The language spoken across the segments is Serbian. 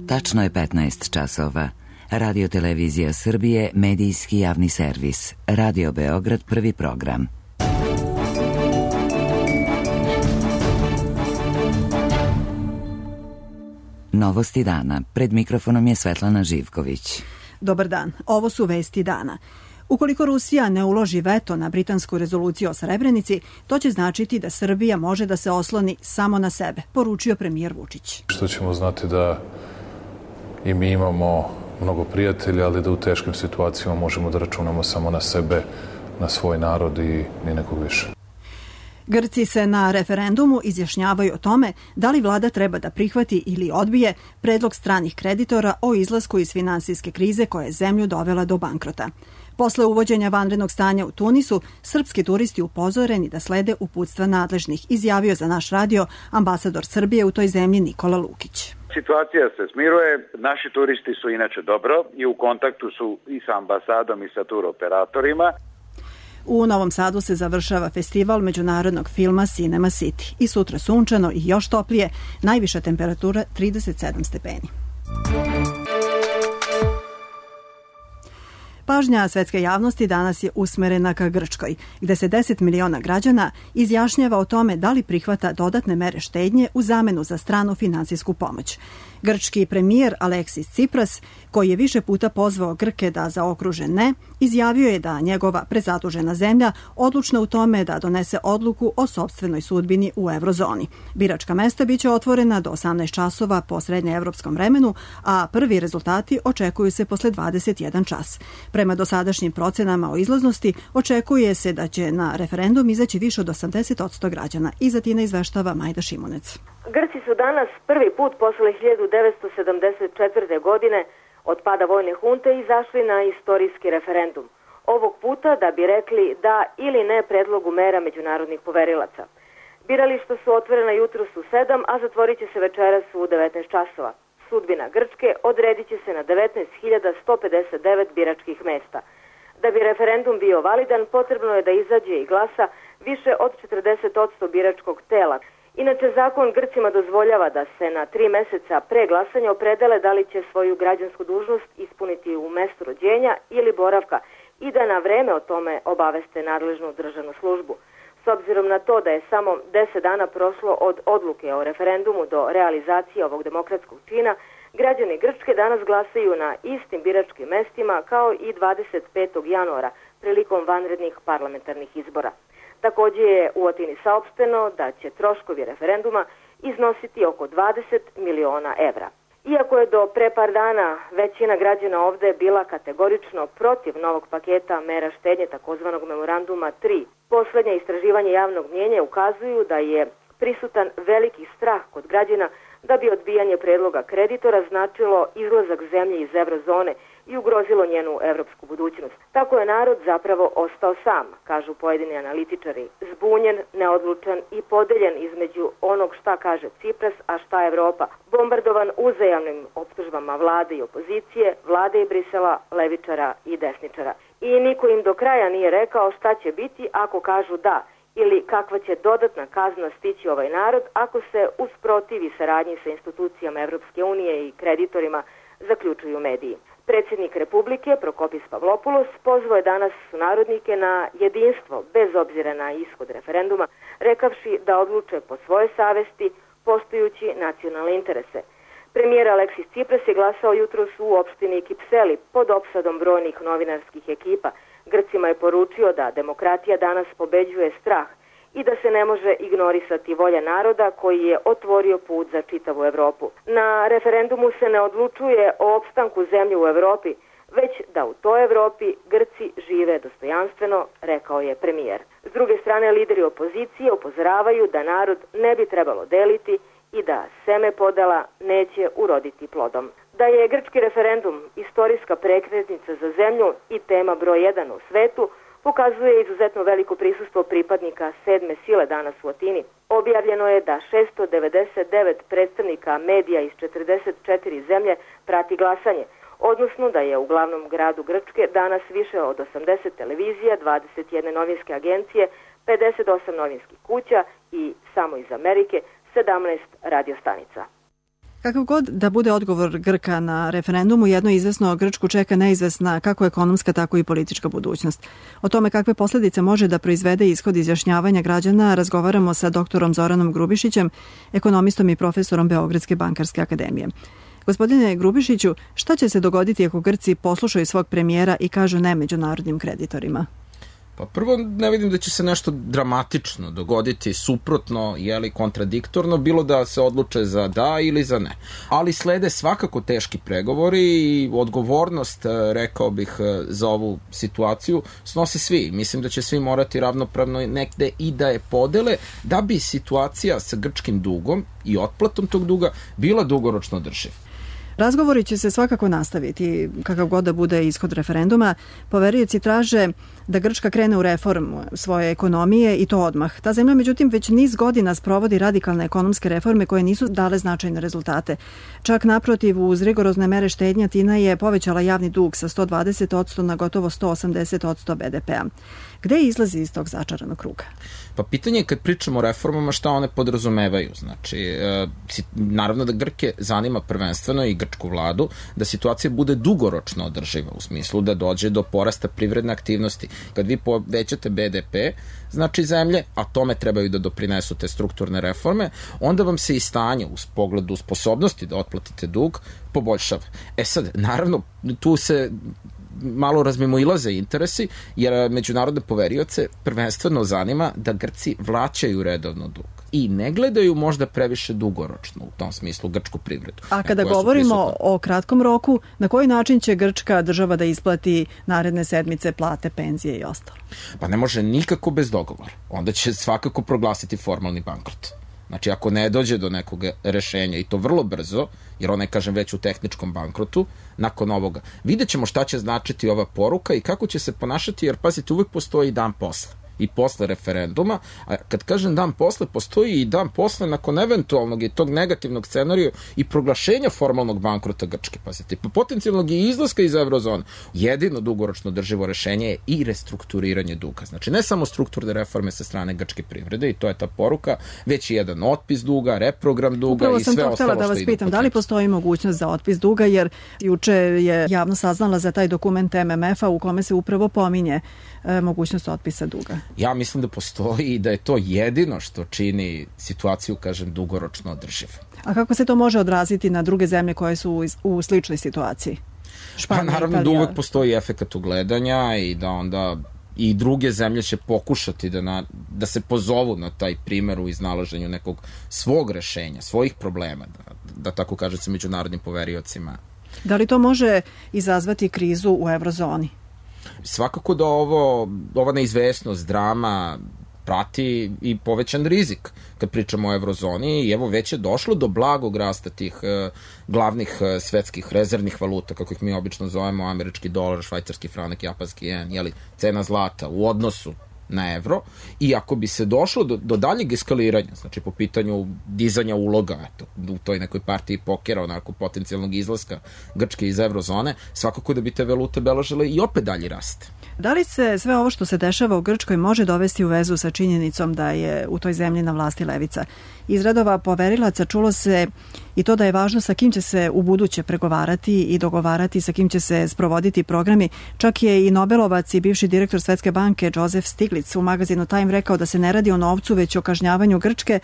Tačno je 15 časova. Radio Televizija Srbije, medijski javni servis. Radio Beograd, prvi program. Novosti dana. Pred mikrofonom je Svetlana Živković. Dobar dan. Ovo su vesti dana. Ukoliko Rusija ne uloži veto na britansku rezoluciju o Srebrenici, to će značiti da Srbija može da se osloni samo na sebe, poručio premijer Vučić. Što ćemo znati da i mi imamo mnogo prijatelja, ali da u teškim situacijama možemo da računamo samo na sebe, na svoj narod i ni nekog više. Grci se na referendumu izjašnjavaju o tome da li vlada treba da prihvati ili odbije predlog stranih kreditora o izlasku iz finansijske krize koja je zemlju dovela do bankrota. Posle uvođenja vanrednog stanja u Tunisu, srpski turisti upozoreni da slede uputstva nadležnih, izjavio za naš radio ambasador Srbije u toj zemlji Nikola Lukić. Situacija se smiruje, naši turisti su inače dobro i u kontaktu su i sa ambasadom i sa turoperatorima. U Novom Sadu se završava festival međunarodnog filma Cinema City i sutra sunčano i još toplije, najviša temperatura 37 stepeni. Pažnja svetske javnosti danas je usmerena ka Grčkoj, gde se 10 miliona građana izjašnjava o tome da li prihvata dodatne mere štednje u zamenu za stranu finansijsku pomoć. Grčki premijer Aleksis Tsipras, koji je više puta pozvao Grke da zaokruže ne, izjavio je da njegova prezadužena zemlja odlučna u tome da donese odluku o sopstvenoj sudbini u eurozoni. Biračka mesta biće otvorena do 18 časova po srednjeevropskom vremenu, a prvi rezultati očekuju se posle 21 čas. Prema dosadašnjim procenama o izlaznosti, očekuje se da će na referendum izaći više od 80% građana. Iz Atine izveštava Majda Šimunec. Grci su danas prvi put posle 1974. godine od pada vojne hunte izašli na istorijski referendum. Ovog puta da bi rekli da ili ne predlogu mera međunarodnih poverilaca. Birališta su otvorena jutros u 7, a zatvorit će se večeras u 19 časova. Sudbina Grčke odredit će se na 19.159 biračkih mesta. Da bi referendum bio validan, potrebno je da izađe i glasa više od 40% biračkog tela. Inače, zakon Grcima dozvoljava da se na 3 meseca pre glasanja opredele da li će svoju građansku dužnost ispuniti u mestu rođenja ili boravka i da na vreme o tome obaveste nadležnu državnu službu. S obzirom na to da je samo 10 dana prošlo od odluke o referendumu do realizacije ovog demokratskog čina, građani Grčke danas glasaju na istim biračkim mestima kao i 25. januara prilikom vanrednih parlamentarnih izbora. Također je u Atini saopšteno da će troškovi referenduma iznositi oko 20 miliona evra. Iako je do pre par dana većina građana ovde bila kategorično protiv novog paketa mera štednje takozvanog memoranduma 3, poslednje istraživanje javnog mnjenja ukazuju da je prisutan veliki strah kod građana da bi odbijanje predloga kreditora značilo izlazak zemlje iz eurozone i ugrozilo njenu evropsku budućnost. Tako je narod zapravo ostao sam, kažu pojedini analitičari, zbunjen, neodlučan i podeljen između onog šta kaže Tsipras, a šta Evropa, bombardovan uzajamnim optužbama vlade i opozicije, vlade i Brisela, levičara i desničara. I niko im do kraja nije rekao šta će biti ako kažu da, ili kakva će dodatna kazna stići ovaj narod ako se usprotivi saradnji sa institucijama Evropske unije i kreditorima, zaključuju mediji. Predsjednik Republike Prokopis Pavlopoulos pozvao je danas sunarodnike na jedinstvo bez obzira na ishod referenduma, rekavši da odluče po svojoj savesti, poštujući nacionalne interese. Premijer Aleksis Tsipras je glasao jutros u opštini Kipseli pod opsadom brojnih novinarskih ekipa. Grcima je poručio da demokratija danas pobeđuje strah i da se ne može ignorisati volja naroda koji je otvorio put za čitavu Evropu. Na referendumu se ne odlučuje o opstanku zemlje u Evropi, već da u toj Evropi Grci žive dostojanstveno, rekao je premijer. S druge strane, lideri opozicije upozoravaju da narod ne bi trebalo deliti i da seme podela neće uroditi plodom. Da je grčki referendum istorijska prekretnica za zemlju i tema broj 1 u svetu, pokazuje izuzetno veliko prisustvo pripadnika 7. sile danas u Atini. Objavljeno je da 699 predstavnika medija iz 44 zemlje prati glasanje, odnosno da je u glavnom gradu Grčke danas više od 80 televizija, 21 novinske agencije, 58 novinskih kuća i samo iz Amerike 17 radiostanica. Kakav god da bude odgovor Grka na referendumu, jedno je izvesno, Grčku čeka neizvesna kako ekonomska, tako i politička budućnost. O tome kakve posledice može da proizvede ishod izjašnjavanja građana razgovaramo sa doktorom Zoranom Grubišićem, ekonomistom i profesorom Beogradske bankarske akademije. Gospodine Grubišiću, šta će se dogoditi ako Grci poslušaju svog premijera i kažu ne međunarodnim kreditorima? Pa prvo, ne vidim da će se nešto dramatično dogoditi, suprotno, kontradiktorno, bilo da se odluče za da ili za ne. Ali slede svakako teški pregovori i odgovornost, rekao bih, za ovu situaciju snose svi. Mislim da će svi morati ravnopravno negde i da je podele, da bi situacija sa grčkim dugom i otplatom tog duga bila dugoročno održiva. Razgovori će se svakako nastaviti, kakav god da bude ishod referenduma. Poverioci traže da Grčka krene u reformu svoje ekonomije i to odmah. Ta zemlja, međutim, već niz godina sprovodi radikalne ekonomske reforme koje nisu dale značajne rezultate. Čak naprotiv, uz rigorozne mere štednje Atina je povećala javni dug sa 120% na gotovo 180% BDP-a. Gde izlazi iz tog začaranog kruga? Pa pitanje je kad pričamo o reformama šta one podrazumevaju. Znači, naravno da Grke zanima prvenstveno i grčku vladu da situacija bude dugoročno održiva u smislu da dođe do porasta privredne aktivnosti. Kad vi povećate BDP, znači zemlje, a tome trebaju da doprinesu te strukturne reforme, onda vam se i stanje uz pogledu sposobnosti da otplatite dug poboljšava. Sad, naravno, tu se malo razmimoilaze interesi, jer međunarodne poverioce prvenstveno zanima da Grci vraćaju redovno dug i ne gledaju možda previše dugoročno u tom smislu grčku privredu. A kada govorimo o kratkom roku, na koji način će grčka država da isplati naredne sedmice plate, penzije i ostalo? Pa ne može nikako bez dogovora. Onda će svakako proglasiti formalni bankrot. Znači, ako ne dođe do nekog rešenja i to vrlo brzo, jer ona je, kažem, već u tehničkom bankrotu, nakon ovoga, vidjet ćemo šta će značiti ova poruka i kako će se ponašati, jer, pazite, uvek postoji dan posle. I posle referenduma, a kad kažem dan posle, postoji i dan posle nakon eventualnog i tog negativnog scenarija i proglašenja formalnog bankrota Grčke, pazite, pa potencijalnog i izlaska iz eurozone. Jedino dugoročno drživo rešenje je i restrukturiranje duga. Znači, ne samo strukturne reforme sa strane grčke privrede, i to je ta poruka, već i jedan otpis duga, reprogram duga. Upravo i sve ostalo što ide. Upravo sam to htela da vas pitam, da li postoji mogućnost za otpis duga, jer juče je javno saznala za taj dokument MMF-a u kome se upravo pominje mogućnost otpisa duga. Ja mislim da postoji i da je to jedino što čini situaciju, kažem, dugoročno održiva. A kako se to može odraziti na druge zemlje koje su u sličnoj situaciji? Španija, pa naravno da uvek postoji efekat ugledanja i da onda i druge zemlje će pokušati da se pozovu na taj primer u iznalaženju nekog svog rešenja, svojih problema, da tako kaže sa međunarodnim poveriocima. Da li to može izazvati krizu u eurozoni? Svakako da ova neizvesnost, drama prati i povećan rizik kad pričamo o eurozoni i evo već je došlo do blagog rasta tih glavnih svetskih rezervnih valuta, kako ih mi obično zovemo, američki dolar, švajcarski franak, japanski jen, cena zlata u odnosu na evro, i ako bi se došlo do daljeg eskaliranja, znači po pitanju dizanja uloga u toj nekoj partiji pokera, onako potencijalnog izlaska Grčke iz eurozone, svakako da bi te valute beležile i opet dalji rast. Da li se sve ovo što se dešava u Grčkoj može dovesti u vezu sa činjenicom da je u toj zemlji na vlasti levica? Iz redova poverilaca čulo se i to da je važno sa kim će se u buduće pregovarati i dogovarati, sa kim će se sprovoditi programi. Čak je i Nobelovac i bivši direktor Svetske banke Joseph Stiglitz u magazinu Time rekao da se ne radi o novcu, već o kažnjavanju Grčke.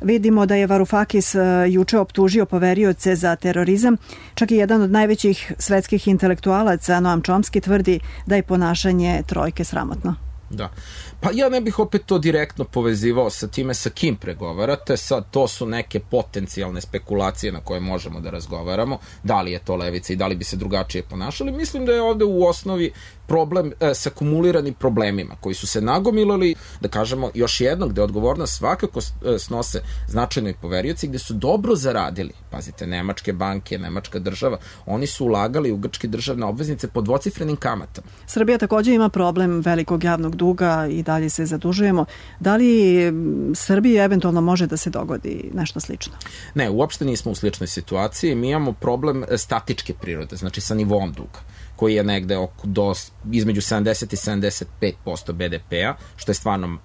Vidimo da je Varoufakis juče optužio poverioce za terorizam. Čak i jedan od najvećih svetskih intelektualaca, Noam Chomsky, tvrdi da je ponašanje trojke sramotno. Da. Pa ja ne bih opet to direktno povezivao sa time sa kim pregovarate, sad to su neke potencijalne spekulacije na koje možemo da razgovaramo, da li je to levica i da li bi se drugačije ponašali. Mislim da je ovde u osnovi problem sa kumuliranim problemima koji su se nagomilali, da kažemo još jednom, gde odgovornost svakako snose značajno i poverioci, gde su dobro zaradili. Pazite, nemačke banke, nemačka država, oni su ulagali u grčke državne obveznice po dvocifrenim kamatama. Srbija također ima problem velikog javnog duga i dalje se zadužujemo. Da li Srbiji eventualno može da se dogodi nešto slično? Ne, uopšte nismo u sličnoj situaciji. Mi imamo problem statičke prirode, znači sa nivom duga, koji je negde između 70 i 75% BDP-a, što je stvarno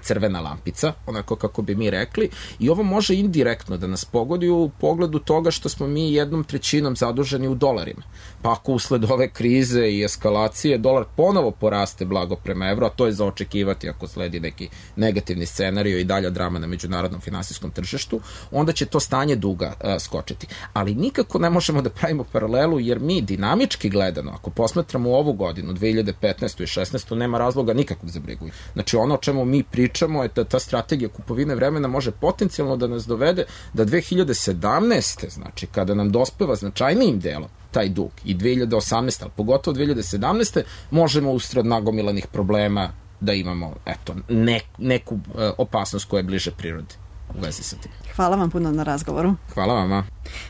crvena lampica, onako kako bi mi rekli, i ovo može indirektno da nas pogodi u pogledu toga što smo mi 1/3 zaduženi u dolarima. Pa ako usled ove krize i eskalacije dolar ponovo poraste blago prema evru, a to je za očekivati ako sledi neki negativni scenario i dalja drama na međunarodnom finansijskom tržištu, onda će to stanje duga skočiti. Ali nikako ne možemo da pravimo paralelu, jer mi dinamički gledano, ako posmatramo ovu godinu, 2015. i 16. nema razloga nikakvog za brigu. Znači ono o čemu mi pričamo je da ta strategija kupovine vremena može potencijalno da nas dovede da 2017. znači kada nam dospeva značajnijim delom taj dug i 2018. ali pogotovo 2017. možemo usred nagomilanih problema da imamo neku opasnost koja je bliže prirodi u vezi sa tim. Hvala vam puno na razgovoru. Hvala vama.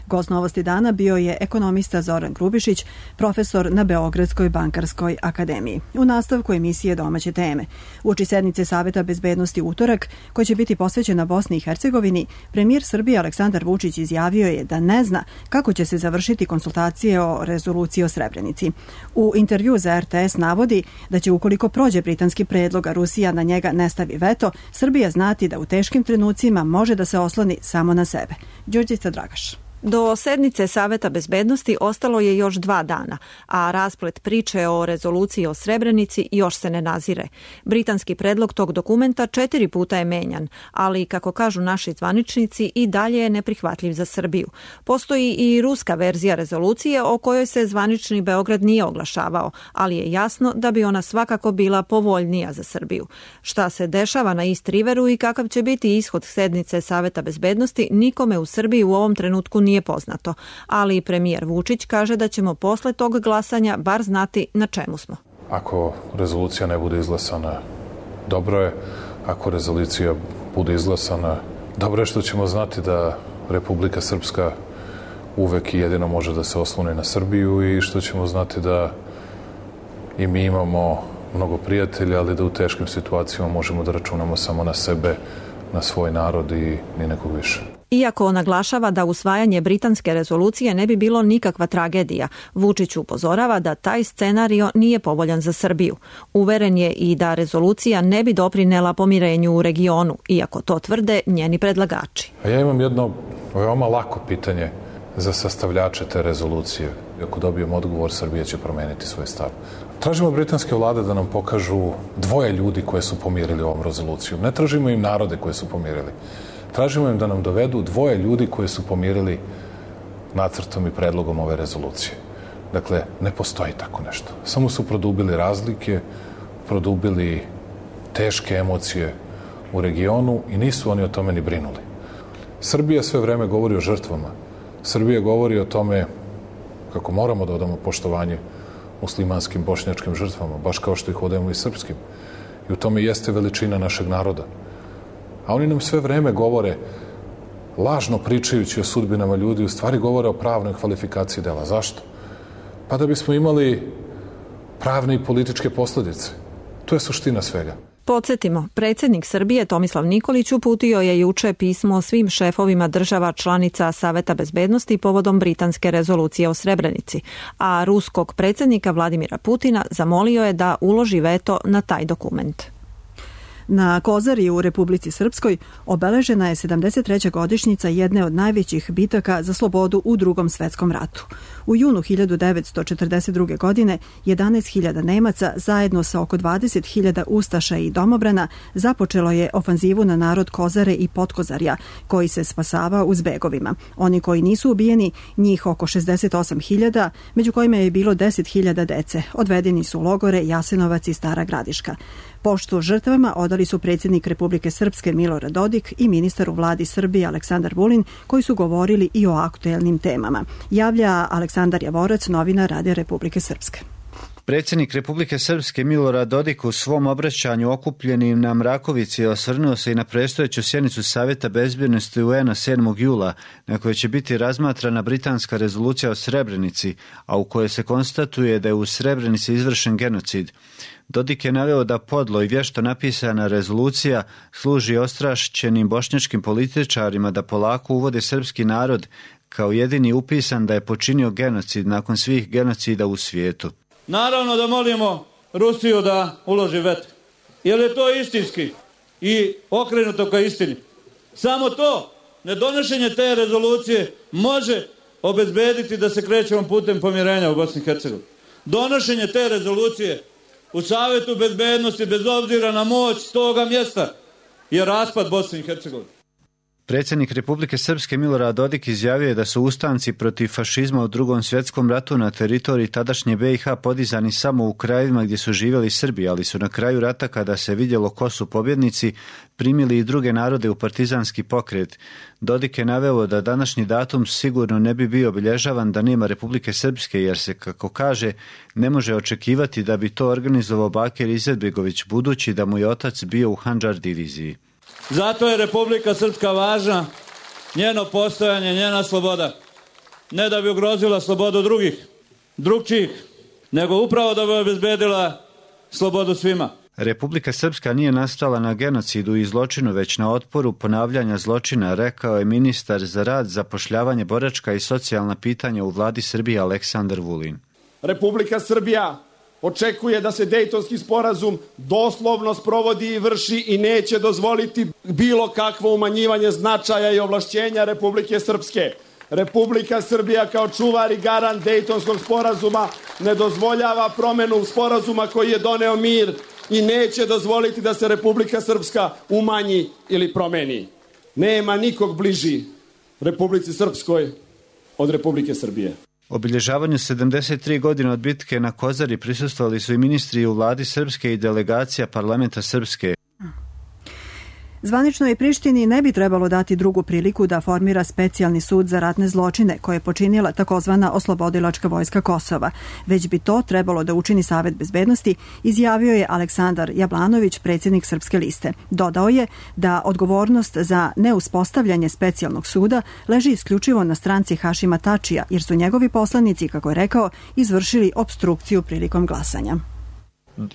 Gost Novosti dana bio je ekonomista Zoran Grubišić, profesor na Beogradskoj bankarskoj akademiji. U nastavku emisije Domaće teme. Uoči sednice Saveta bezbednosti utorak, koja će biti posvećena Bosni i Hercegovini, premijer Srbije Aleksandar Vučić izjavio je da ne zna kako će se završiti konsultacije o rezoluciji o Srebrenici. U intervju za RTS navodi da će ukoliko prođe britanski predlog, a Rusija na njega ne stavi veto, Srbija znati da u teškim trenucima može da se osloni samo na sebe. Đurđica Dragaš. Do sednice Saveta bezbednosti ostalo je još 2 dana, a rasplet priče o rezoluciji o Srebrenici još se ne nazire. Britanski predlog tog dokumenta 4 puta je menjan, ali, kako kažu naši zvaničnici, i dalje je neprihvatljiv za Srbiju. Postoji i ruska verzija rezolucije o kojoj se zvanični Beograd nije oglašavao, ali je jasno da bi ona svakako bila povoljnija za Srbiju. Šta se dešava na East Riveru i kakav će biti ishod sednice Saveta bezbednosti, nikome u Srbiji u ovom trenutku nije poznato, ali premijer Vučić kaže da ćemo posle tog glasanja bar znati na čemu smo. Ako rezolucija ne bude izglasana, dobro je. Ako rezolucija bude izglasana, dobro je što ćemo znati da Republika Srpska uvek i jedino može da se osloni na Srbiju i što ćemo znati da i mi imamo mnogo prijatelja, ali da u teškim situacijama možemo da računamo samo na sebe, na svoj narod i ni nekog više. Iako naglašava da usvajanje britanske rezolucije ne bi bilo nikakva tragedija, Vučić upozorava da taj scenario nije povoljan za Srbiju. Uveren je i da rezolucija ne bi doprinela pomirenju u regionu, iako to tvrde njeni predlagači. Ja imam jedno veoma lako pitanje za sastavljače te rezolucije. Ako dobijem odgovor, Srbija će promeniti svoj stav. Tražimo britanske vlade da nam pokažu 2 ljudi koje su pomirili ovom rezolucijom. Ne tražimo im narode koje su pomirili. Tražimo im da nam dovedu 2 ljudi koje su pomirili nacrtom i predlogom ove rezolucije. Dakle, ne postoji tako nešto. Samo su produbili razlike, produbili teške emocije u regionu i nisu oni o tome ni brinuli. Srbija sve vreme govori o žrtvama. Srbija govori o tome kako moramo da odamo poštovanje muslimanskim, bošnjačkim žrtvama, baš kao što ih odajemo i srpskim. I u tome jeste veličina našeg naroda. A oni nam sve vreme govore, lažno pričajući o sudbinama ljudi, u stvari govore o pravnoj kvalifikaciji dela. Zašto? Pa da bismo imali pravne i političke posljedice. To je suština svega. Podsjetimo, predsjednik Srbije Tomislav Nikolić uputio je juče pismo svim šefovima država članica Saveta bezbednosti povodom britanske rezolucije o Srebrenici, a ruskog predsjednika Vladimira Putina zamolio je da uloži veto na taj dokument. Na Kozari u Republici Srpskoj obeležena je 73. godišnjica jedne od najvećih bitaka za slobodu u Drugom svetskom ratu. U junu 1942. godine 11.000 Nemaca zajedno sa oko 20.000 ustaša i domobrana započelo je ofanzivu na narod Kozare i Potkozarja, koji se spasava u zbegovima. Oni koji nisu ubijeni, njih oko 68.000, među kojima je bilo 10.000 dece. Odvedeni su u logore Jasenovac i Stara Gradiška. Poštu žrtvama odali su predsjednik Republike Srpske Milorad Dodik i ministar u vladi Srbije Aleksandar Vulin, koji su govorili i o aktuelnim temama. Javlja Aleksandar Javorac, novinar Radio Republike Srpske. Predsjednik Republike Srpske Milorad Dodik u svom obraćanju okupljenim na Mrakovici osvrnuo se i na predstojeću sjednicu Savjeta bezbednosti UN-a 7. jula, na kojoj će biti razmatrana britanska rezolucija o Srebrenici, a u kojoj se konstatuje da je u Srebrenici izvršen genocid. Dodik je naveo da podlo i vješto napisana rezolucija služi ostrašćenim bošnjačkim političarima da polako uvode srpski narod kao jedini upisan da je počinio genocid nakon svih genocida u svijetu. Naravno da molimo Rusiju da uloži veto. Je li to istinski? i okrenuto ka istini. Samo to, nedonošenje te rezolucije može obezbediti da se krećemo putem pomirenja u Bosni i Hercegovini. Donošenje te rezolucije u Savetu bezbednosti, bez obzira na moć toga mjesta, je raspad Bosne i Hercegovine. Predsjednik Republike Srpske Milorad Dodik izjavio je da su ustanci protiv fašizma u Drugom svjetskom ratu na teritoriji tadašnje BiH podizani samo u krajevima gdje su živjeli Srbi, ali su na kraju rata, kada se vidjelo ko su pobjednici, primili i druge narode u partizanski pokret. Dodik je naveo da današnji datum sigurno ne bi bio obilježavan da nema Republike Srpske, jer se, kako kaže, ne može očekivati da bi to organizovao Bakir Izetbegović, budući da mu je otac bio u Handžar diviziji. Zato je Republika Srpska važna, njeno postojanje, njena sloboda. Ne da bi ugrozila slobodu drugčijih, nego upravo da bi obezbedila slobodu svima. Republika Srpska nije nastala na genocidu i zločinu, već na otporu ponavljanja zločina, rekao je ministar za rad, zapošljavanje, boračka i socijalna pitanja u vladi Srbije Aleksandar Vulin. Republika Srbija očekuje da se Dejtonski sporazum doslovno sprovodi i vrši i neće dozvoliti bilo kakvo umanjivanje značaja i ovlašćenja Republike Srpske. Republika Srbija kao čuvar i garant Dejtonskog sporazuma ne dozvoljava promjenu sporazuma koji je doneo mir i neće dozvoliti da se Republika Srpska umanji ili promeni. Nema nikog bliži Republici Srpskoj od Republike Srbije. Obilježavanju 73 godine od bitke na Kozari prisustvovali su i ministri u vladi Srpske i delegacija parlamenta Srpske. Zvanično i Prištini ne bi trebalo dati drugu priliku da formira specijalni sud za ratne zločine koje je počinila takozvana oslobodilačka vojska Kosova, već bi to trebalo da učini Savet bezbednosti, izjavio je Aleksandar Jablanović, predsjednik Srpske liste. Dodao je da odgovornost za neuspostavljanje specijalnog suda leži isključivo na stranci Hašima Tačija, jer su njegovi poslanici, kako je rekao, izvršili opstrukciju prilikom glasanja.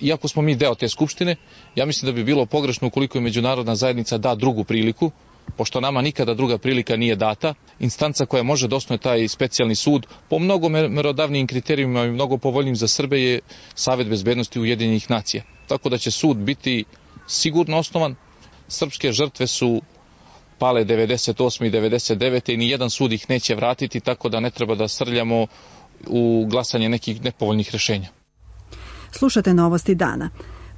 Iako smo mi deo te skupštine, ja mislim da bi bilo pogrešno ukoliko je međunarodna zajednica da drugu priliku, pošto nama nikada druga prilika nije data. Instanca koja može da osnuje taj specijalni sud po mnogo merodavnijim kriterijima i mnogo povoljnijim za Srbe je Savet bezbednosti Ujedinjenih nacija. Tako da će sud biti sigurno osnovan. Srpske žrtve su pale 98. i 99. i nijedan sud ih neće vratiti, tako da ne treba da srljamo u glasanje nekih nepovoljnih rješenja. Slušate novosti dana.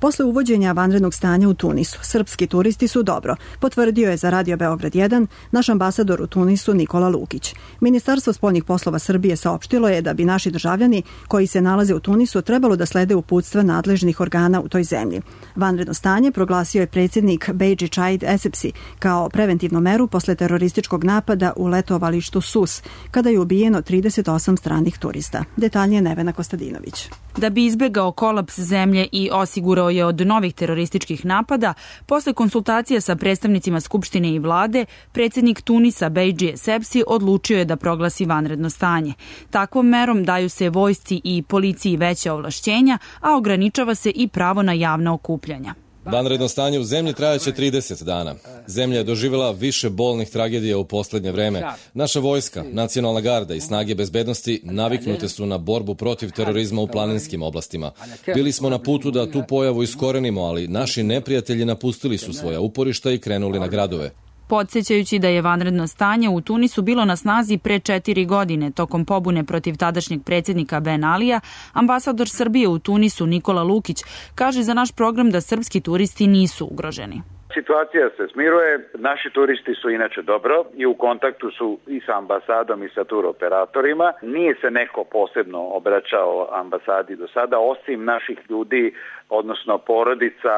Posle uvođenja vanrednog stanja u Tunisu, srpski turisti su dobro, potvrdio je za Radio Beograd 1 naš ambasador u Tunisu Nikola Lukić. Ministarstvo spoljnih poslova Srbije saopštilo je da bi naši državljani koji se nalaze u Tunisu trebalo da slede uputstva nadležnih organa u toj zemlji. Vanredno stanje proglasio je predsjednik Bejdži Čaid Esepsi kao preventivnu meru posle terorističkog napada u letovalištu Sus, kada je ubijeno 38 stranih turista. Detaljnije Nevena Kostadinović. Da bi izbegao kolaps zemlje i osigurao je od novih terorističkih napada, posle konsultacija sa predstavnicima Skupštine i vlade, predsjednik Tunisa Bejdži Essebsi odlučio je da proglasi vanredno stanje. Takvom merom daju se vojsci i policiji veća ovlašćenja, a ograničava se i pravo na javna okupljanja. Vanredno stanje u zemlji trajaće 30 dana. Zemlja je doživjela više bolnih tragedija u posljednje vreme. Naša vojska, nacionalna garda i snage bezbednosti naviknute su na borbu protiv terorizma u planinskim oblastima. Bili smo na putu da tu pojavu iskorenimo, ali naši neprijatelji napustili su svoja uporišta i krenuli na gradove. Podsjećajući da je vanredno stanje u Tunisu bilo na snazi pre 4 godine tokom pobune protiv tadašnjeg predsjednika Ben Alija, ambasador Srbije u Tunisu Nikola Lukić kaže za naš program da srpski turisti nisu ugroženi. Situacija se smiruje, naši turisti su inače dobro i u kontaktu su i sa ambasadom i sa tur operatorima. Nije se neko posebno obraćao ambasadi do sada, osim naših ljudi, odnosno porodica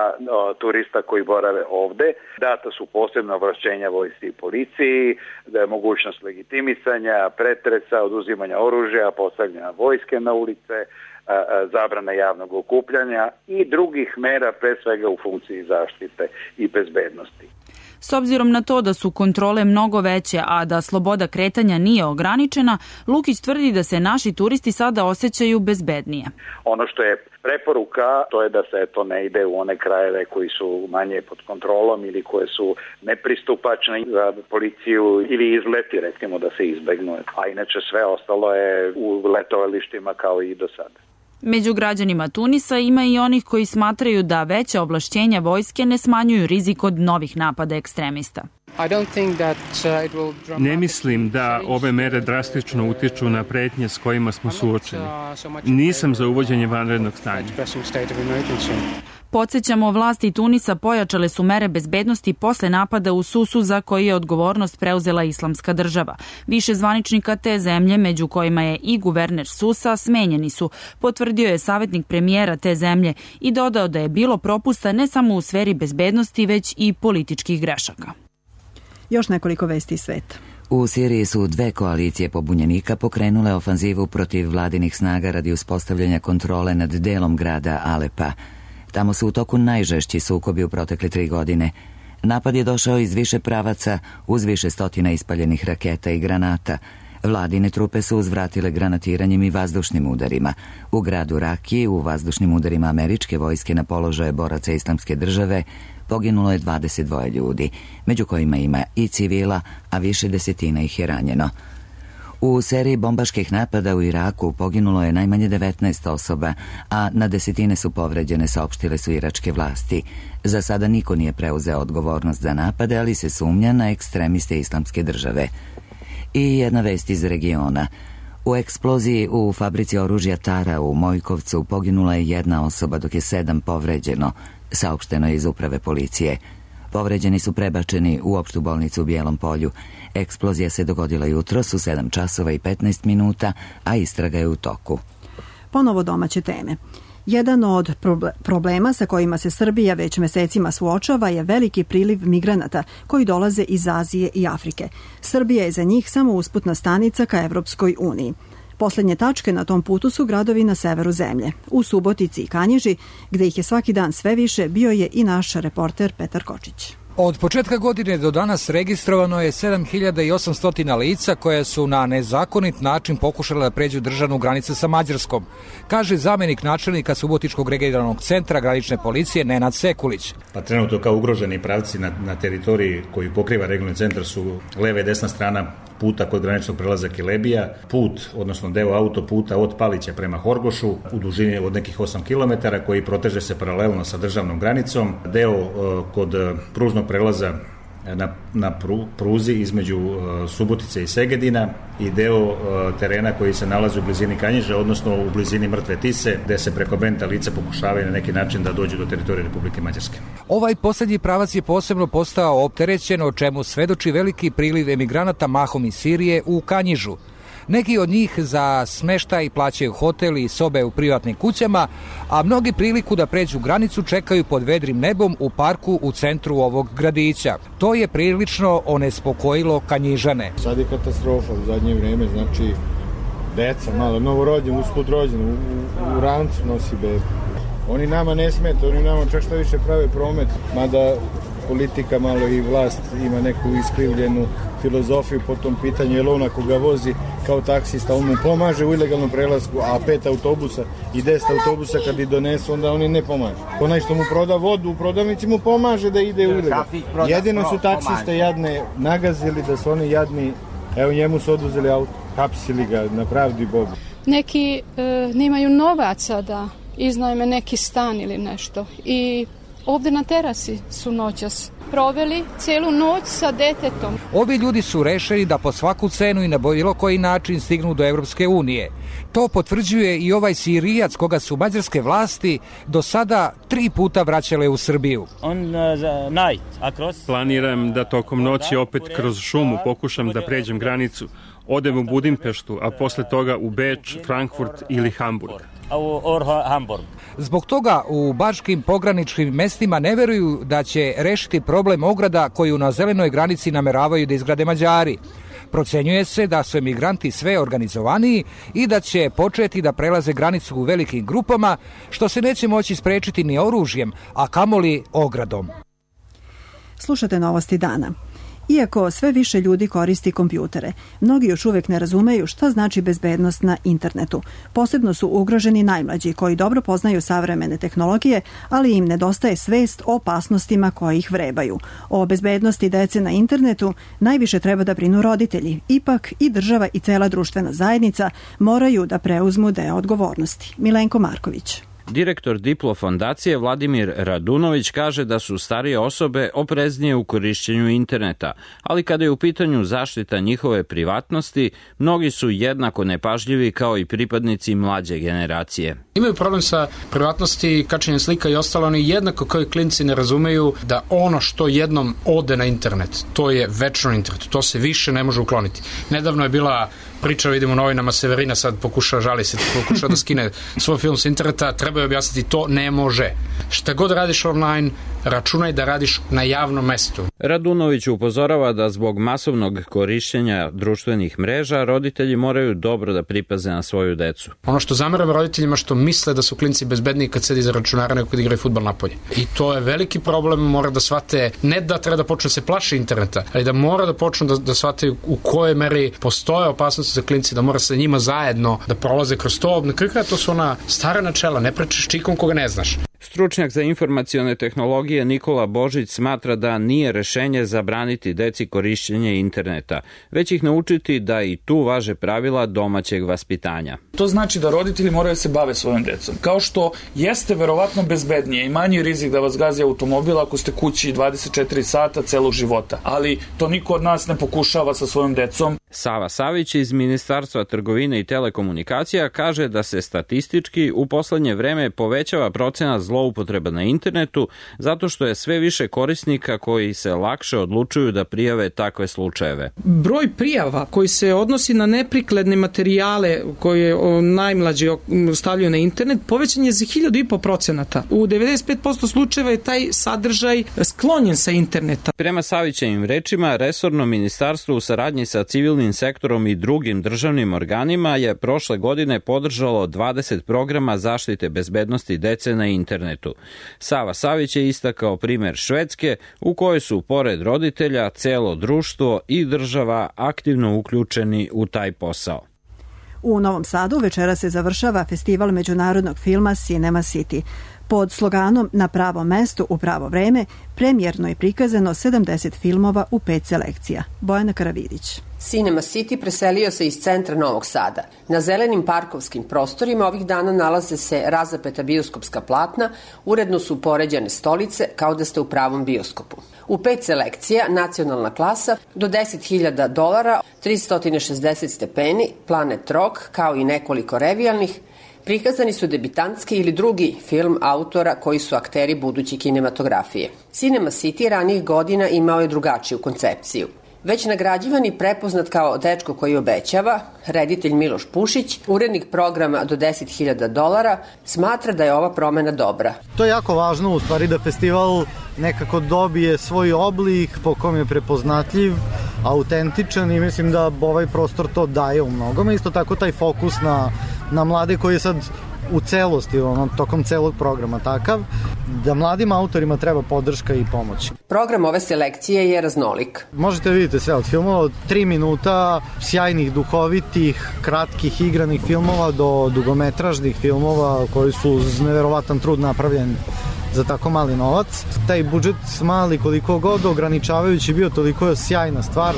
turista koji borave ovde. Data su posebno ovlašćenja vojsci i policiji, da je mogućnost legitimisanja, pretresa, oduzimanja oružja, postavljanja vojske na ulice, zabrana javnog okupljanja i drugih mera, pre svega u funkciji zaštite i bezbednosti. S obzirom na to da su kontrole mnogo veće, a da sloboda kretanja nije ograničena, Lukić tvrdi da se naši turisti sada osjećaju bezbednije. Ono što je preporuka, to je da se to ne ide u one krajeve koji su manje pod kontrolom ili koje su nepristupačne za policiju ili izleti, recimo, da se izbegnu. A inače sve ostalo je u letovalištima kao i do sada. Među građanima Tunisa ima i onih koji smatraju da veća ovlašćenja vojske ne smanjuju rizik od novih napada ekstremista. Ne mislim da ove mere drastično utiču na pretnje s kojima smo suočeni. Nisam za uvođenje vanrednog stanja. Podsjećamo, vlasti Tunisa pojačale su mere bezbednosti posle napada u Susu za koji je odgovornost preuzela Islamska država. Više zvaničnika te zemlje, među kojima je i guverner Susa, smenjeni su, potvrdio je savjetnik premijera te zemlje i dodao da je bilo propusta ne samo u sferi bezbednosti, već i političkih grešaka. Još nekoliko vesti iz sveta. U Siriji su dve koalicije pobunjenika pokrenule ofanzivu protiv vladinih snaga radi uspostavljanja kontrole nad delom grada Alepa. Tamo su u toku najžešći sukobi u protekle 3 godine. Napad je došao iz više pravaca uz više stotina ispaljenih raketa i granata. Vladine trupe su uzvratile granatiranjem i vazdušnim udarima. U gradu Raki, u vazdušnim udarima američke vojske na položaje boraca Islamske države, poginulo je 22 ljudi, među kojima ima i civila, a više desetina ih je ranjeno. U seriji bombaških napada u Iraku poginulo je najmanje 19 osoba, a na desetine su povređene, saopštile su iračke vlasti. Za sada niko nije preuzeo odgovornost za napade, ali se sumnja na ekstremiste Islamske države. I jedna vest iz regiona. U eksploziji u fabrici oružja Tara u Mojkovcu poginula je 1 osoba, dok je 7 povređeno, saopšteno je iz uprave policije. Povređeni su prebačeni u opštu bolnicu u Bijelom Polju. Eksplozija se dogodila jutros u 7 časova i 15 minuta, a istraga je u toku. Ponovo domaće teme. Jedan od problema sa kojima se Srbija već mesecima suočava je veliki priliv migranata koji dolaze iz Azije i Afrike. Srbija je za njih samo usputna stanica ka Evropskoj uniji. Poslednje tačke na tom putu su gradovi na severu zemlje. U Subotici i Kanjiži, gde ih je svaki dan sve više, bio je i naš reporter Petar Kočić. Od početka godine do danas registrovano je 7800 lica koje su na nezakonit način pokušale da pređu državnu granicu sa Mađarskom, kaže zamenik načelnika Subotičkog regionalnog centra granične policije Nenad Sekulić. Pa trenutno kao ugroženi pravci na teritoriji koju pokriva regionalni centar su leva i desna strana puta kod graničnog prelaza Kelebija, put, odnosno deo autoputa od Palića prema Horgošu u dužini od nekih 8 km koji proteže se paralelno sa državnom granicom, deo kod pružnog prelaza na pruzi između Subotice i Segedina i deo terena koji se nalazi u blizini Kanjiže, odnosno u blizini Mrtve Tise, gde se preko Benta lica pokušavaju na neki način da dođu do teritorije Republike Mađarske. Ovaj poslednji pravac je posebno postao opterećen, o čemu svedoči veliki priliv emigranata mahom iz Sirije u Kanjižu. Neki od njih za smeštaj plaćaju hotel i sobe u privatnim kućama, a mnogi priliku da pređu granicu čekaju pod vedrim nebom u parku u centru ovog gradića. To je prilično onespokojilo Kanjižane. Sad je katastrofa u zadnje vrijeme, znači deca malo novorođen, usput rođen, u rancu nosi bebu. Oni nama ne smete, oni nama čak što više prave promet, mada politika malo i vlast ima neku iskrivljenu filozofiju po tom pitanju, jer on ako ga vozi kao taksista, on mu pomaže u ilegalnom prelasku, a 5 autobusa i 10 autobusa kad ih donesu, onda oni ne pomaže. Onaj što mu proda vodu u prodavnici mu pomaže da ide u ilegal. Jedino su taksiste jadne nagazili da su oni jadni, evo njemu su oduzeli auto, hapsili ga na pravdi Bogu. Neki nemaju novaca da iznajme neki stan ili nešto i ovde na terasi su noćas proveli celu noć sa detetom. Ovi ljudi su rešeni da po svaku cenu i na bilo koji način stignu do Evropske unije. To potvrđuje i ovaj Sirijac koga su mađarske vlasti do sada 3 puta vraćale u Srbiju. Planiram da tokom noći opet kroz šumu pokušam da pređem granicu. Odem u Budimpeštu, a posle toga u Beč, Frankfurt ili Hamburg. Zbog toga u bačkim pograničnim mestima ne veruju da će rešiti problem ograda koju na zelenoj granici nameravaju da izgrade Mađari. Procenjuje se da su emigranti sve organizovaniji i da će početi da prelaze granicu u velikim grupama, što se neće moći sprečiti ni oružjem, a kamoli ogradom. Slušate Novosti dana. Iako sve više ljudi koristi kompjutere, mnogi još uvijek ne razumeju šta znači bezbednost na internetu. Posebno su ugroženi najmlađi koji dobro poznaju savremene tehnologije, ali im nedostaje svest o opasnostima koje ih vrebaju. O bezbednosti dece na internetu najviše treba da brinu roditelji. Ipak i država i cela društvena zajednica moraju da preuzmu deo odgovornosti. Milenko Marković. Direktor Diplo fondacije Vladimir Radunović kaže da su starije osobe opreznije u korišćenju interneta, ali kada je u pitanju zaštita njihove privatnosti, mnogi su jednako nepažljivi kao i pripadnici mlađe generacije. Imaju problem sa privatnosti, kačenjem slika i ostalo, oni jednako kao i klinci ne razumeju da ono što jednom ode na internet, to je večno internet, to se više ne može ukloniti. Nedavno je bila priča, vidimo u novinama, Severina sad pokuša da skine svoj film s interneta, treba je objasniti, to ne može. Šta god radiš online, računaj da radiš na javnom mestu. Radunović upozorava da zbog masovnog korišćenja društvenih mreža roditelji moraju dobro da pripaze na svoju decu. Ono što zameram roditeljima što misle da su klinci bezbedniji kad sedi za računara nego kad igraju fudbal napolje. I to je veliki problem, mora da shvate, ne da treba da počne se plaši interneta, ali da mora da počnu da shvate u kojoj meri postoje opasnosti za klinci, da mora sa njima zajedno da prolaze kroz to. Na kraju to su ona stara načela, ne prečiš čikom koga ne znaš. Stručnjak za informacione tehnologije Nikola Božić smatra da nije rešenje zabraniti deci korišćenje interneta, već ih naučiti da i tu važe pravila domaćeg vaspitanja. To znači da roditelji moraju se bave svojom decom. Kao što jeste verovatno bezbednije i manji rizik da vas gazi automobil ako ste kući 24 sata celog života, ali to niko od nas ne pokušava sa svojom decom. Sava Savić iz Ministarstva trgovine i telekomunikacija kaže da se statistički u poslednje vreme povećava procenat zloupotreba na internetu zato što je sve više korisnika koji se lakše odlučuju da prijave takve slučajeve. Broj prijava koji se odnosi na neprikladne materijale koje najmlađi stavljaju na internet povećan je za 1.500%. U 95% slučajeva je taj sadržaj sklonjen sa interneta. Prema Savićevim rečima, resorno ministarstvo u saradnji sa civilnim sektorom i drugim državnim organima je prošle godine podržalo 20 programa zaštite bezbednosti dece na internetu. Sava Savić je istakao primer Švedske u kojoj su pored roditelja celo društvo i država aktivno uključeni u taj posao. U Novom Sadu večera se završava festival međunarodnog filma Cinema City. Pod sloganom Na pravo mesto u pravo vreme premijerno je prikazano 70 filmova u 5 selekcija. Bojana Karavidić. Cinema City preselio se iz centra Novog Sada. Na zelenim parkovskim prostorima ovih dana nalaze se razapeta bioskopska platna, uredno su poređane stolice kao da ste u pravom bioskopu. U 5 selekcija, nacionalna klasa, do $10.000, 360 stepeni, Planet Rock, kao i nekoliko revijalnih, prikazani su debitantski ili drugi film autora koji su akteri buduće kinematografije. Cinema City ranijih godina imao je drugačiju koncepciju. Već nagrađivan i prepoznat kao dečko koji obećava, reditelj Miloš Pušić, urednik programa do $10.000, smatra da je ova promena dobra. To je jako važno u stvari da festival nekako dobije svoj oblik po kom je prepoznatljiv, autentičan i mislim da ovaj prostor to daje u mnogome. Isto tako taj fokus na mlade koji je sad u celosti, tokom celog programa takav, da mladim autorima treba podrška i pomoć. Program ove selekcije je raznolik. Možete vidjeti sve od filmova od 3 minuta, sjajnih, duhovitih, kratkih igranih filmova do dugometražnih filmova koji su uz neverovatan trud napravljeni za tako mali novac. Taj budžet mali koliko god ograničavajući bio, toliko je sjajna stvar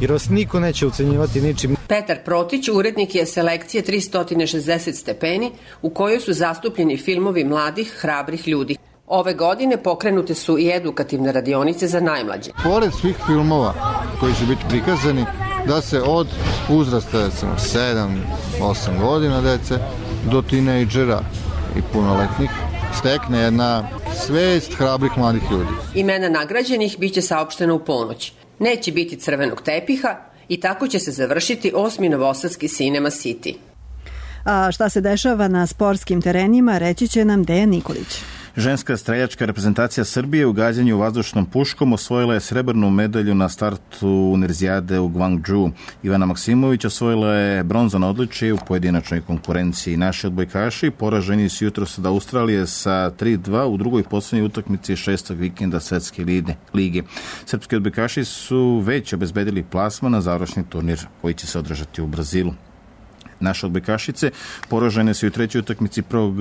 jer vas niko neće ucenjivati ničim. Petar Protić, urednik je selekcije 360 stepeni u kojoj su zastupljeni filmovi mladih, hrabrih ljudi. Ove godine pokrenute su i edukativne radionice za najmlađe. Pored svih filmova koji će biti prikazani, da se od uzrasta 7-8 godina dece do tinejdžera i punoletnih stekne jedna svest hrabrih mladih ljudi. Imena nagrađenih biće saopštena u ponoć. Neće biti crvenog tepiha i tako će se završiti 8. novosadski Cinema City. A šta se dešava na sportskim terenima, reći će nam Dejan Nikolić. Ženska streljačka reprezentacija Srbije u gađanju vazdušnom puškom osvojila je srebrnu medalju na startu Univerzijade u Gwangju. Ivana Maksimović osvojila je bronzano odličje u pojedinačnoj konkurenciji. Naši odbojkaši poraženi su jutros od Australije sa 3-2 u drugoj poslednjoj utakmici 6. vikenda Svetske lige. Srpski odbojkaši su već obezbedili plasman na završni turnir koji će se održati u Brazilu. Naše odbojkašice poražene su i u trećoj utakmici prvog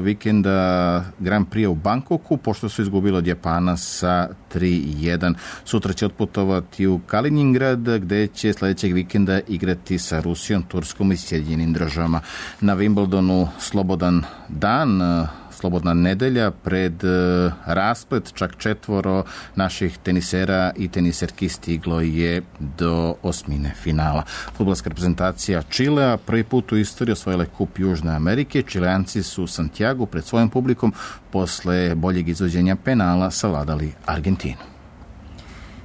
vikenda Grand Prix u Bangkoku, pošto su izgubili od Japana sa 3-1. Sutra će otputovati u Kaliningrad, gde će sledećeg vikenda igrati sa Rusijom, Turskom i Sjedinjenim Državama. Na Wimbledonu slobodan dan, slobodna nedelja, pred rasplet čak 4 naših tenisera i teniserki stiglo je do osmine finala. Fudbalska reprezentacija Čilea prvi put u istoriji osvojila kup Južne Amerike. Čileanci su u Santiagu pred svojim publikom posle boljeg izvođenja penala savladali Argentinu.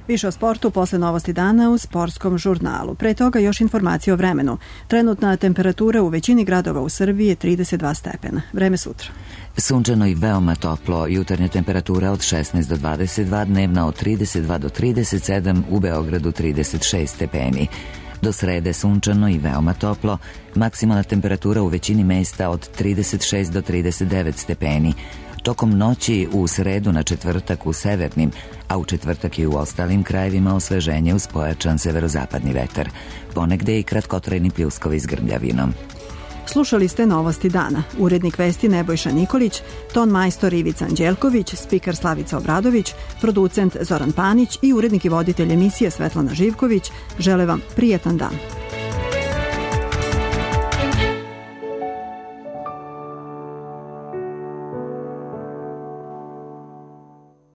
Više o sportu posle novosti dana u Sportskom žurnalu. Pre toga još informacije o vremenu. Trenutna temperatura u većini gradova u Srbiji je 32 stepena. Vreme sutra. Sunčano i veoma toplo. Jutarnja temperatura od 16 do 22, dnevna od 32 do 37, u Beogradu 36 stepeni. Do srede sunčano i veoma toplo. Maksimalna temperatura u većini mesta od 36 do 39 stepeni. Tokom noći u sredu na četvrtak u severnim, a u četvrtak i u ostalim krajevima osveženje uz pojačan severozapadni vetar. Ponegde i kratkotrajni pljuskovi s grmljavinom. Slušali ste novosti dana. Urednik vesti Nebojša Nikolić, ton majstor Ivica Anđelković, spiker Slavica Obradović, producent Zoran Panić i urednik i voditelj emisije Svetlana Živković žele vam prijetan dan.